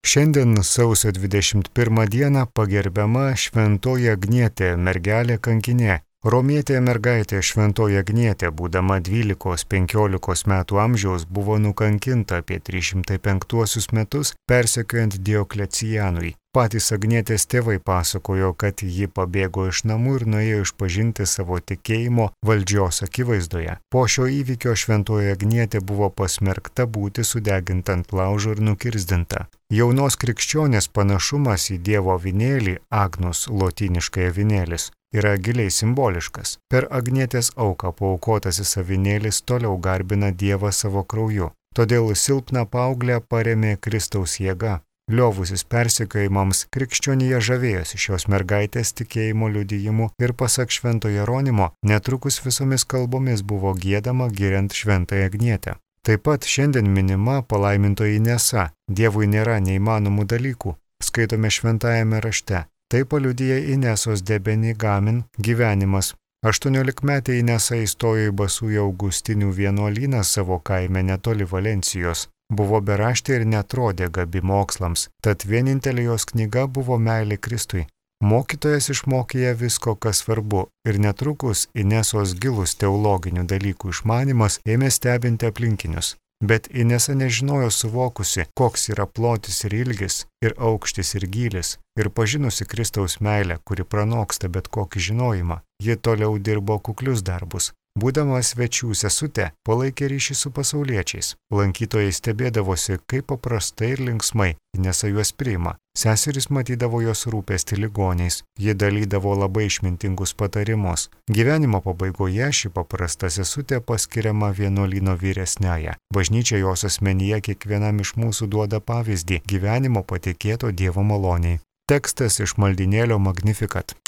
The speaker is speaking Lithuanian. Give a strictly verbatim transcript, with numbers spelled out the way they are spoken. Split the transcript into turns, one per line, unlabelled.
Šiandien sausio dvidešimt pirmą dieną pagerbiama Šventoji Agnietė, mergelė kankinė. Romietė mergaitė Šventoji Agnietė, būdama dvylikos penkiolikos metų amžiaus, buvo nukankinta apie trys šimtai penktuosius metus, persekiojant Dioklecianui. Patys Agnietės tėvai pasakojo, kad ji pabėgo iš namų ir nuėjo išpažinti savo tikėjimo valdžios akivaizdoje. Po šio įvykio Šventoji Agnietė buvo pasmerkta būti sudeginta ant laužo ir nukirzdinta. Jaunos krikščionės panašumas į Dievo avinėlį, Agnus, lotyniškai avinėlis, yra giliai simboliškas. Per Agnietės auką paaukotasis avinėlis toliau garbina Dievą savo krauju. Todėl silpną paauglę parėmė Kristaus jėga. Liovusis persekiojimams, krikščionija žavėjosi šios mergaitės tikėjimo liudijimu ir pasak Švento Jeronimo, netrukus visomis kalbomis buvo giedama giriant Šventąją Agnietę. Taip pat šiandien minima palaimintoji Inesa. Dievui nėra neįmanomų dalykų, skaitome šventajame rašte. Tai paliudija Inesos de Benigamin gyvenimas. aštuoniolikmetė Inesa įstojo į Basųjų Augustinių vienuolyną savo kaime netoli Valencijos. Buvo beraštė ir netrodė gabi mokslams, tad vienintelė jos knyga buvo meilė Kristui. Mokytojas išmokė ją visko, kas svarbu, ir netrukus Inesos gilus teologinių dalykų išmanimas ėmė stebinti aplinkinius. Bet Inesa nežinojo suvokusi, koks yra plotis ir ilgis, ir aukštis ir gylis, ir pažinusi Kristaus meilę, kuri pranoksta bet kokį žinojimą. Ji toliau dirbo kuklius darbus. Būdama svečių sesutė, palaikė ryšį su pasauliečiais. Lankytojai stebėdavosi, kaip paprastai ir linksmai Inesa juos priima. Seserys matydavo jos rūpestį ligoniais. Ji dalydavo labai išmintingus patarimus. Gyvenimo pabaigoje ši paprasta sesutė paskiriama vienuolyno vyresniąja. Bažnyčia jos asmenyje kiekvienam iš mūsų duoda pavyzdį gyvenimo patikėto Dievo maloniai. Tekstas iš maldynėlio Magnificat.